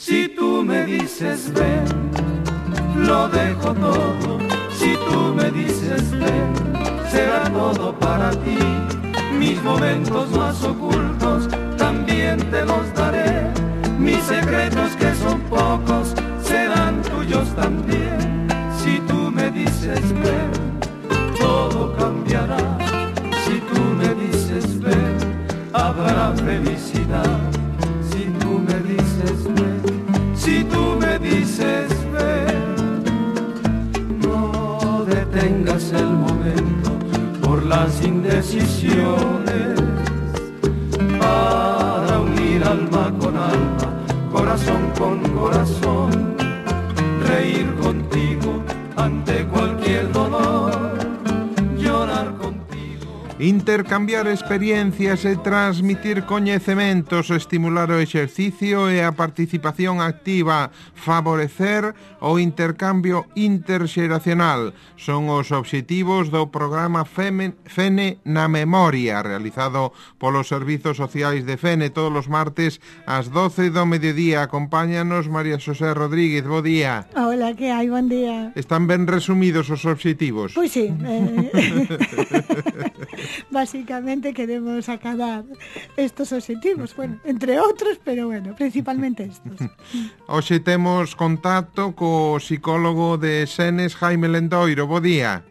Si tú me dices ven, lo dejo todo. Si tú me dices ven, será todo para ti. Mis momentos más ocultos también te los daré. Mis secretos que son pocos serán tuyos también. Si tú me dices ven, todo cambiará. Si tú me dices ven, habrá felicidad. Si tú me dices ven, si tú me dices ven, no detengas el momento por las indecisiones, para unir alma con alma, corazón con corazón, reír contigo ante cualquier dolor, llorar contigo. Intercambiar experiencias e transmitir coñecementos, estimular o exercicio e a participación activa, favorecer o intercambio interxeracional son os obxectivos do programa Fene na Memoria, realizado polos Servizos Sociais de Fene todos os martes ás 12 do mediodía. Acompáñanos María Xosé Rodríguez, bo día. Hola, que hai? Bon día. Están ben resumidos os obxectivos? Pois sí, básicamente queremos acabar estos objetivos, bueno, entre outros, pero bueno, principalmente estos. Hoxe temos contacto co psicólogo de Senes, Jaime Lendoiro. Bo día.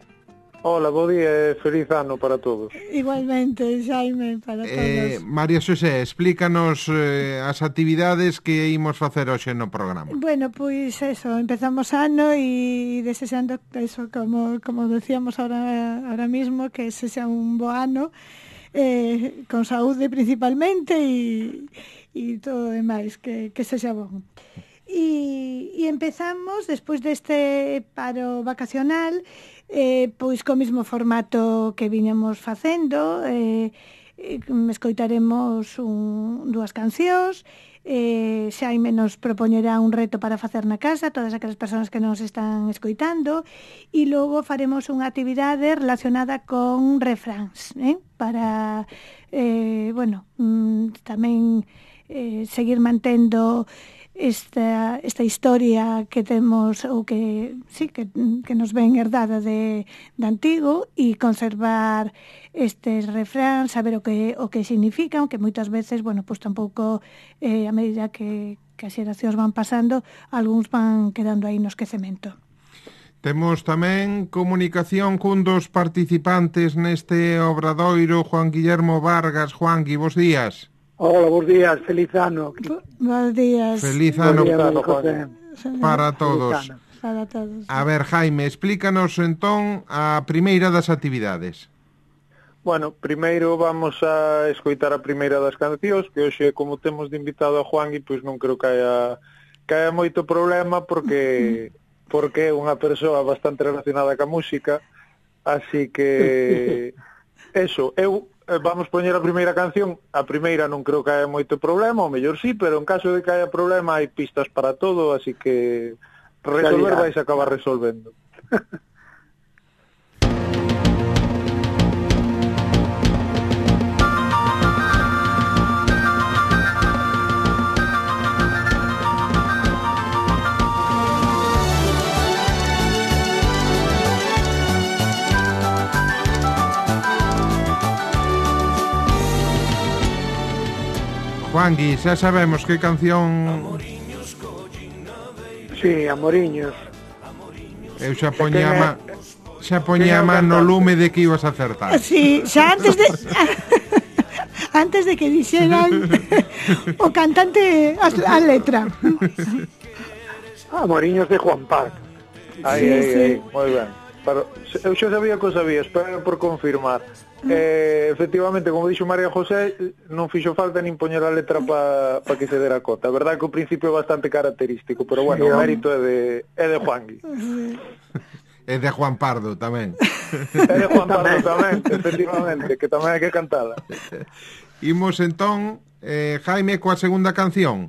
Hola, bo día e feliz ano para todos. Igualmente, Jaime, para todos. María Xosé, explícanos as actividades que imos facer hoxe no programa. Bueno, pois eso, empezamos ano e desexando eso, como decíamos ahora mismo, que ese sea un bo ano, con saúde principalmente e todo o demais, que sexa bon. E empezamos, despois deste paro vacacional, pois co mesmo formato que viñamos facendo, escoitaremos dúas cancións, Xaime nos propoñerá un reto para facer na casa, todas aquelas persoas que nos están escoitando, e logo faremos unha actividade relacionada con refráns, para, tamén seguir mantendo esta historia que temos, ou que sí, que nos ven herdada de antigo, e conservar estes refráns, saber o que significan, que moitas veces, pois tampouco, a medida que as xeracións van pasando, algúns van quedando aí no esquecemento. Temos tamén comunicación cun dos participantes neste obradoiro, Juan Guillermo Vargas. Juangui, bos días. Hola, bons días, feliz ano. Bons días. Feliz ano para todos. Para todos. A ver, Jaime, explícanos entón a primeira das actividades. Bueno, primeiro vamos a escoitar a primeira das cancións, que hoxe, como temos de invitado a Juangui, pois non creo que haya moito problema, porque é unha persoa bastante relacionada ca música, así que eso, vamos poñer a primeira canción. A primeira non creo que haya moito problema, ou mellor sí, pero en caso de que haya problema hai pistas para todo, así que resolver vais a acabar resolvendo. Juangui, xa sabemos que canción... Sí, Amoriños. Eu xa poñía a man no lume de que ibas a acertar. Sí, xa antes de que dixeran o cantante a letra. Amoriños de Juan Parc. Aí, moi ben. Pero eu xa sabía que o sabía, espero por confirmar. Efectivamente, como dixo María José, non fixo falta nin poñer a letra para que se dera cota. A verdade que o principio é bastante característico, pero bueno, o mérito é de Juangui. É de Juan Pardo tamén. É de Juan Pardo tamén, efectivamente, que tamén hai que cantala. Imos entón, Jaime, coa segunda canción.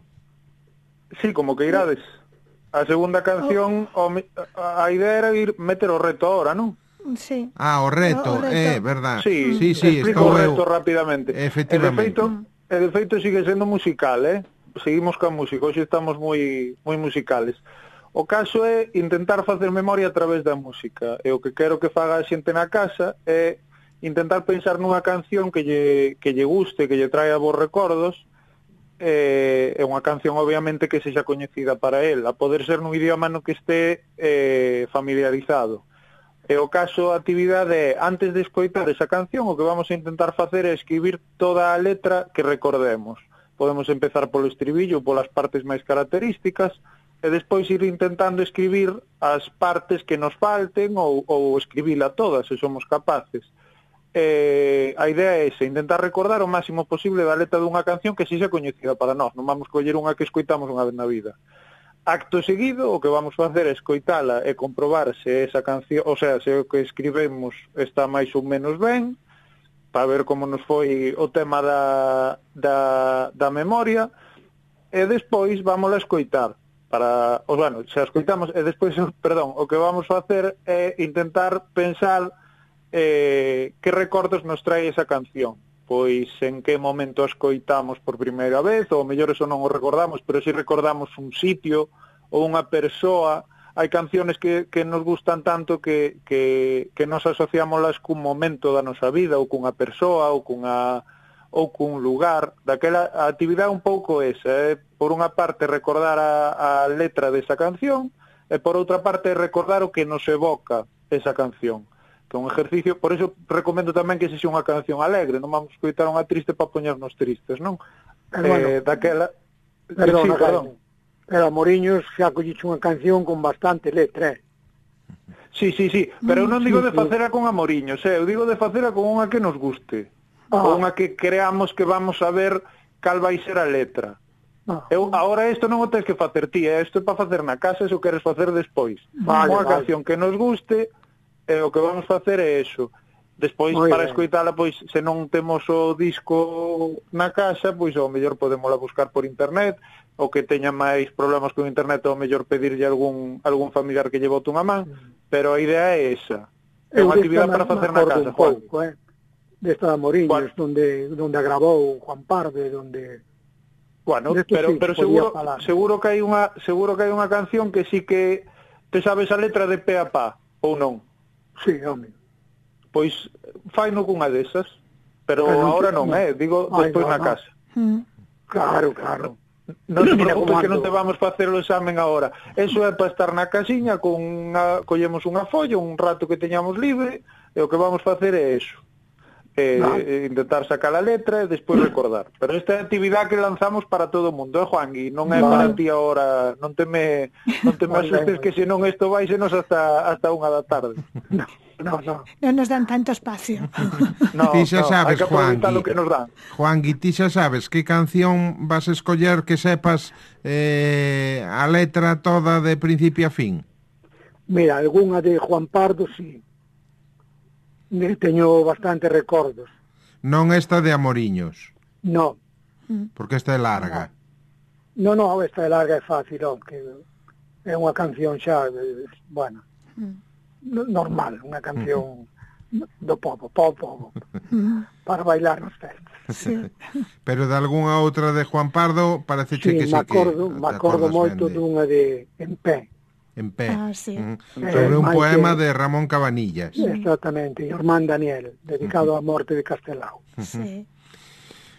Sí, como que irades. A segunda canción, a idea era meter o reto ahora, non? Sí. O reto, verdad. Sí, explico o reto rapidamente. Efectivamente. E de feito sigue sendo musical, seguimos ca música, hoxe estamos moi musicales. O caso é intentar facer memoria a través da música, e o que quero que faga a xente na casa é intentar pensar nunha canción que lle guste, que lle traia bons recordos, é unha canción obviamente que sexa coñecida para el, a poder ser nun idioma no que este familiarizado. E o caso, a actividade é, antes de escoitar esa canción, o que vamos a intentar facer é escribir toda a letra que recordemos. Podemos empezar polo estribillo, polas partes máis características, e despois ir intentando escribir as partes que nos falten ou escribila todas, se somos capaces. A idea é esa, intentar recordar o máximo posible da letra dunha canción que sexa coñecida para nós, non vamos coller unha que escoitamos unha vez na vida. Acto seguido, o que vamos facer é escoitala e comprobar se esa canción, o sea, se o que escribemos está máis ou menos ben, para ver como nos foi o tema da memoria, e despois vamos a escoitar. Se a escoitamos, e despois, o que vamos facer é intentar pensar que recordos nos trae esa canción. Pois en que momento a escoitamos por primeira vez, ou mellor eso non o recordamos, pero si recordamos un sitio ou unha persoa. Hai canciones que nos gustan tanto que nos asociámoslas cun momento da nosa vida, ou cunha persoa, ou cun lugar. Daquela a actividade un pouco esa, por unha parte recordar a letra desa canción, e por outra parte recordar o que nos evoca esa canción. Que é un ejercicio, por eso recomendo tamén que se unha canción alegre, non vamos a escoitar unha triste para poñernos tristes, non? Daquela... Perdón. Pero a Moriños xa colliche unha canción con bastante letra, Sí, pero eu non digo de facela con amoriños, eu digo de facela con unha que nos guste. Con unha que creamos que vamos a ver cal vai ser a letra. Ahora isto non o tens que facer ti, isto é para facer na casa, se o queres facer despois. Unha canción que nos guste, o que vamos facer é eso. Despois, para escoitala, pois, se non temos o disco na casa, pois, ao mellor podémola buscar por internet, o que teña máis problemas con internet, ao mellor pedirlle algún familiar que lle bote unha man, pero a idea é esa. É unha actividade para facer na casa, Juan. Desta Moriños, donde agravou Juan Parde, donde... Bueno, pero seguro que hai unha canción que sí que te sabes a letra de pe a pa, ou non? Sí, home. Pois faino cunha desas, pero agora non, digo despois na casa. Claro. Non te preocupes que non te vamos facer o examen agora. Eso é para estar na casiña, collemos unha folla, un rato que teñamos libre, e o que vamos facer é eso. Intentar sacar a letra e despois recordar. Pero esta é a actividade que lanzamos para todo o mundo, Juan, e non é para ti agora, non te me asustes que senón isto vai senos hasta 1 da tarde. No nos dan tanto espacio. Ti xa sabes, hai que aproveitar o que nos dan. Juangui, ti xa sabes que canción vas a escoller que sepas a letra toda de principio a fin? Mira, algunha de Juan Pardo, sí. Teño bastante recordos. Non esta de Amoriños? No. Porque esta é larga. No, esta é larga, é fácil, que é unha canción xa, bueno, normal, unha canción do povo, para bailar nos festas. Sí. Pero de algunha outra de Juan Pardo parece que sí que... me acordo moito dunha de En Pé. En Pé. Sí. Sobre un poema de Ramón Cabanillas. Exactamente, Irmán Daniel, dedicado á morte de Castelao. Sí.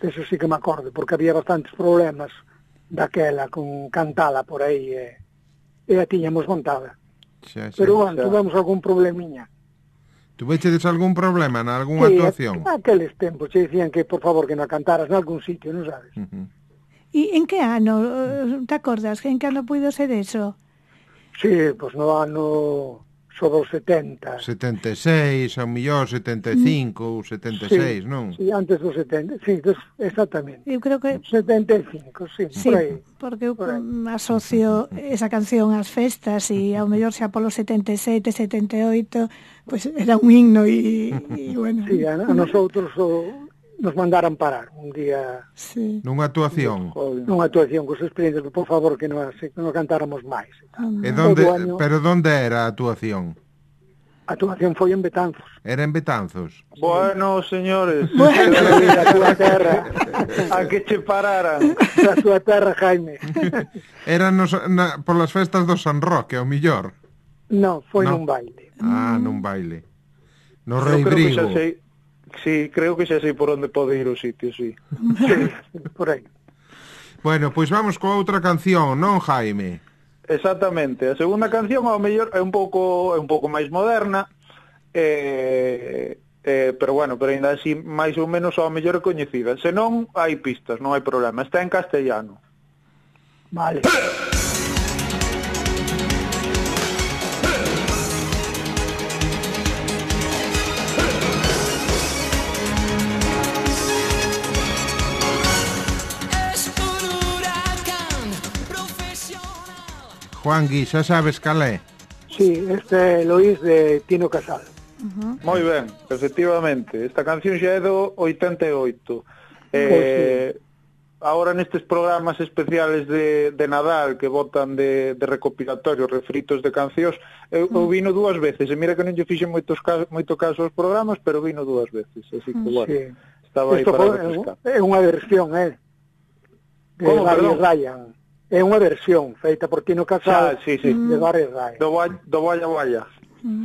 Eso sí que me acordo, porque había bastantes problemas daquela con cantala por aí, e a tiñamos montada. Pero bueno, tuvemos algún problemiña. Tuvechedes algún problema na algunha actuación? Aqueles tempos che dicían que, por favor, que non cantaras nalgún sitio, non sabes? E en que ano, te acordas? En que ano puido ser eso? Sí, pois no ano sobre os 70. 76, ao mellor 75 ou 76, non? Sí, antes dos 70, sí, exactamente. Eu creo que 75, sí, por aí. Porque eu asocio esa canción ás festas e ao mellor xa polo 77, 78, pois era un himno e bueno. Sí, a nosotros nos mandaran parar un día. Sí. Nunha actuación. Nunha actuación cos experiencias, por favor, que non cantáramos máis. Pero onde era a actuación? A actuación foi en Betanzos. Era en Betanzos. Bueno, señores, A túa terra. a que che pararan. A túa terra, Jaime. Era polas festas do San Roque, ao millor. No, foi No. nun baile. Nun baile. No Eu Rei creo que Brigo. xa sei. Sí, creo que xa sei por onde pode ir o sitio, sí. Sí, por aí. Bueno, pois vamos coa outra canción, non, Jaime? Exactamente. A segunda canción ao mellor é un pouco máis moderna, pero bueno, pero ainda así máis ou menos ao mellor é coñecida. Se non, hai pistas, non hai problema. Está en castellano. Vale. Juan Gui, xa sabes cal é? Sí, este é Loís de Tino Casal. Moi ben, efectivamente. Esta canción xa é do 88. Ahora nestes programas especiales de Nadal que botan de recopilatorio, refritos de cancións, eu vino dúas veces. E mira que non lle fixen moito caso aos programas, pero vino dúas veces. Así que, bueno, Sí. estaba aí Isto para foi- refrescar. é unha versión, de Como, Barry perdón? Ryan. É unha versión feita por Tino Casal Sí. de Barry Ryan. Do Vaya.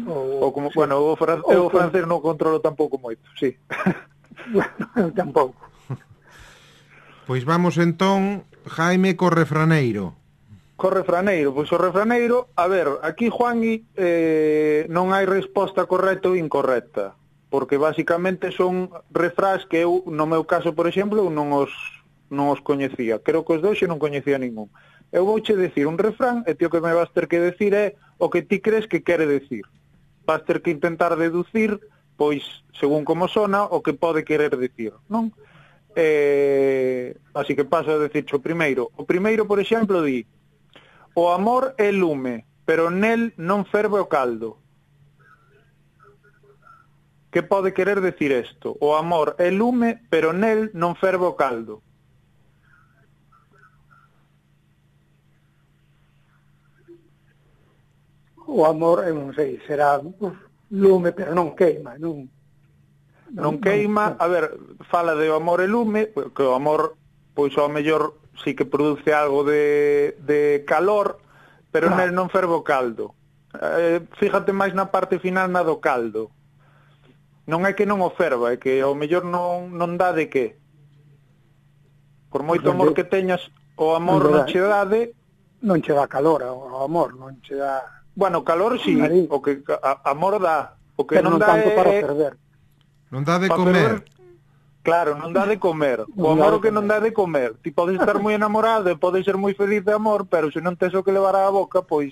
Ou como, sí. bueno, o francés non controlo tampouco moito, sí. Bueno, eu tampouco. Pois vamos entón, Jaime, co refraneiro. Co refraneiro, pois o refraneiro, a ver, aquí Juanmi non hai resposta correcta ou incorrecta, porque basicamente son refrás que eu, no meu caso, por exemplo, eu non os coñecía. Creo que os dois eu non coñecía ningún. Eu vouche decir un refrán e ti o que me vas ter que decir é o que ti crees que quere decir. Vas ter que intentar deducir, pois, según como sona, o que pode querer decir, non? Así que paso a decir o primeiro. O primeiro, por exemplo, di: o amor é lume, pero nel non ferve o caldo. Que pode querer decir isto? O amor é lume, pero nel non ferve o caldo. O amor, eu non sei, será lume, pero non queima, Non queima, a ver, fala de o amor e lume, que o amor, pois ao mellor sí que produce algo de calor, pero nel non ferve o caldo. Fíjate máis na parte final na do caldo. Non é que non o ferva, é que ao mellor non dá de que. Por moito amor que teñas, o amor non che dá de... Non che dá calor o amor, non che dá... Bueno, calor sí, o que amor dá. O que pero non dá tanto é... para ferver. Non dá de Pa comer. Claro, non dá de comer. O amor o que non dá de comer. Ti podes estar moi enamorado e podes ser moi feliz de amor, pero se non tes o que levar á boca, pois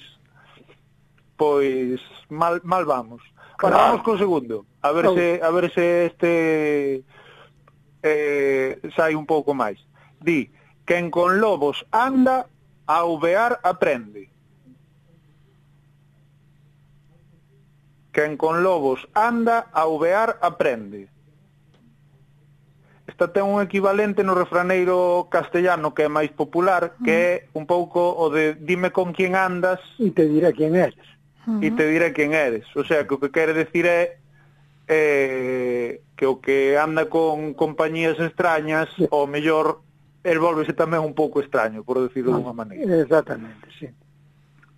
mal vamos. Bueno, vamos co segundo. A ver se este sai un pouco máis. Di: quen con lobos anda, a uvear aprende. Quen con lobos anda, a uvear aprende. Esta ten un equivalente no refraneiro castellano que é máis popular, que é un pouco o de dime con quién andas E te diré quién eres. e te diré quién eres. O sea, que o que quere decir é que o que anda con compañías extrañas, ao mellor, el volvese tamén un pouco extraño, por decirlo de unha maneira. Exactamente, sí.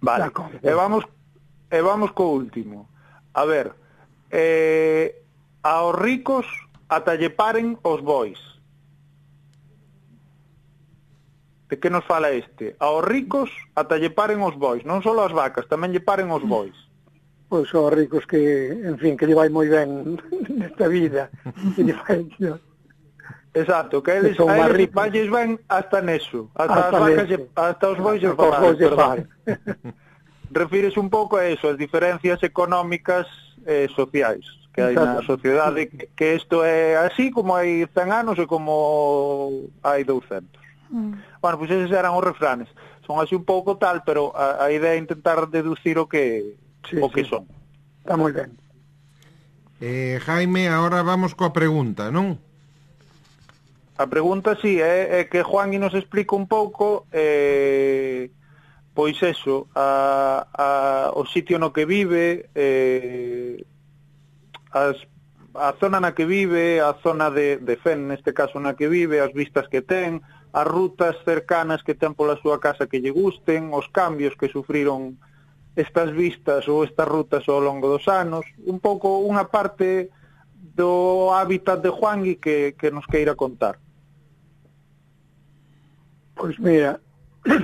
Vale, e vamos co último. A ver, aos ricos ata lle paren os bois. De que nos fala este? Aos ricos ata lle paren os bois, non só as vacas, tamén lle paren os bois. Pois os ricos que, en fin, que lle vai moi ben nesta vida. Que lle vai... Exacto, que eles valles ben hasta neso, hasta as vacas, hasta os bois lle falan. Refírese un pouco a eso, as diferencias económicas e sociais que hai na sociedade, que isto é así como hai 100 anos e como hai 200. Bueno, pois eses eran os refranes. Son así un pouco tal, pero a idea é intentar deducir o que son. Está moi ben. Jaime, agora vamos coa pregunta, non? A pregunta sí, é que Juan nos explica un pouco pois eso, o sitio no que vive, a zona na que vive, a zona de Fene, neste caso na que vive, as vistas que ten, as rutas cercanas que ten pola súa casa que lle gusten, os cambios que sufriron estas vistas ou estas rutas ao longo dos anos, un pouco unha parte do hábitat de Juangui que nos queira contar. Pois mira,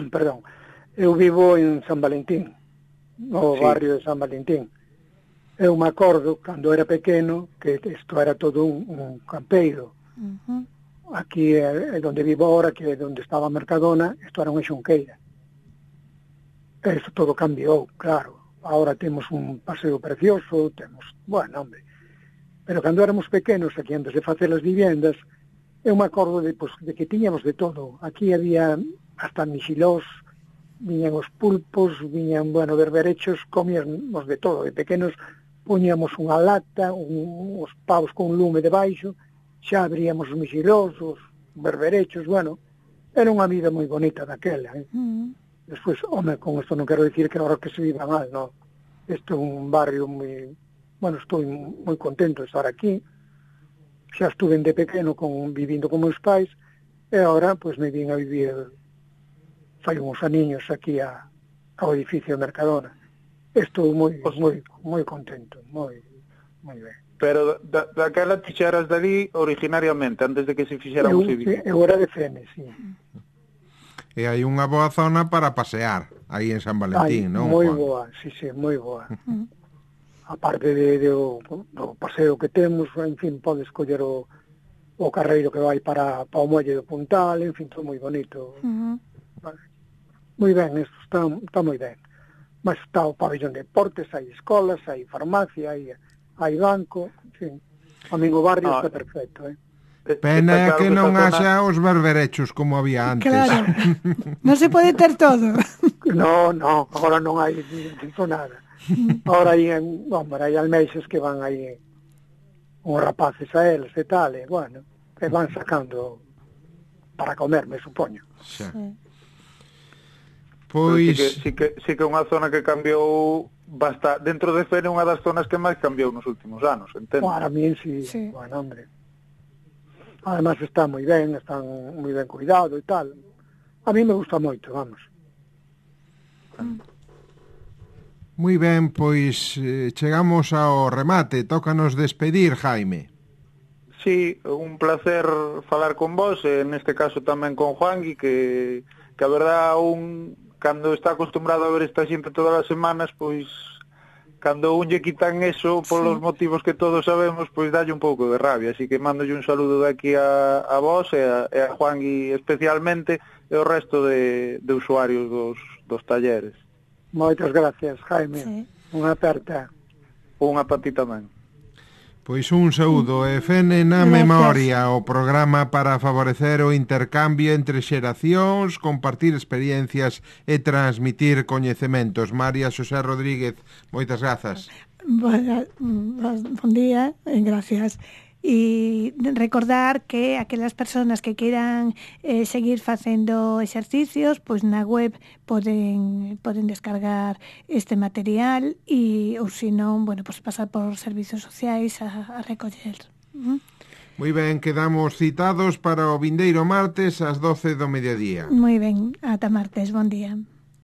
perdón, eu vivo en San Valentín, no barrio de San Valentín. Eu me acordo, cando era pequeno, que isto era todo un campeiro. Aquí é onde vivo ahora, que é onde estaba a Mercadona, isto era unha xunqueira. Isto todo cambiou, claro. Ahora temos un paseo precioso, temos... Bueno, hombre. Pero cando éramos pequenos, aquí antes de facer as vivendas, eu me acordo de que tiñamos de todo. Aquí había hasta mixilós, viñan os pulpos, viñan, bueno, berberechos, comíamos de todo. De pequenos poñíamos unha lata, os pavos con lume debaixo, xa abríamos os mixilós, os berberechos, bueno, era unha vida moi bonita daquela. Despois, home, con isto non quero dicir que agora que se viva mal, non. Este é un barrio moi... Bueno, estou moi contento de estar aquí. Xa estuve de pequeno vivindo con meus pais, e agora, pois, me vim a vivir fai uns aniños aquí ao edificio de Mercadona. Estou moi contento, moi ben. Pero daquela ti xa eras dali originariamente, antes de que se fixera o edificio? Eu era de Fene, sí. E hai unha boa zona para pasear, aí en San Valentín, non? Moi boa, sí, moi boa. A parte do paseo que temos, en fin, podes coller o carreiro que vai para o muelle do Puntal, en fin, todo moi bonito. Moi ben, isto está moi ben. Mas está o pabellón de deportes, hai escolas, hai farmacia, hai banco, en fin. A min o barrio está perfecto, Pena é que non haxa os berberechos como había antes. Claro, non se pode ter todo. No, agora non hai nada. Ahora hai almeixas que van aí uns rapaces a eles e tal, e bueno, que van sacando para comer, me supoño. Xa. Pois... Sí que é unha zona que cambiou bastante. Dentro de Fene é unha das zonas que máis cambiou nos últimos anos, entendo? Para mí sí. Bueno, hombre. Además está moi ben cuidado e tal. A mí me gusta moito, vamos. Moi ben, pois chegamos ao remate. Tócanos despedir, Jaime. Sí, un placer falar con vos, neste caso tamén con Juangui, que a verdad cando está acostumbrado a ver esta xente todas as semanas, pois cando un lle quitan eso polos motivos que todos sabemos, pois dalle un pouco de rabia, así que mandolle un saludo de aquí a vos e a Juangui especialmente e o resto de usuarios dos talleres. Moitas gracias, Jaime. Unha aperta. Unha para ti tamén. Pois un saúdo e Fene na memoria, o programa para favorecer o intercambio entre xeracións, compartir experiencias e transmitir coñecementos. María Xosé Rodríguez, moitas grazas. Bon día, gracias. E recordar que aquelas persoas que queiran seguir facendo exercicios, pois na web poden descargar este material e ou senón, bueno, pois pasar por servizos sociais a recoller. Moi ben, quedamos citados para o vindeiro martes ás 12 do mediodía. Moi ben, ata martes, bon día.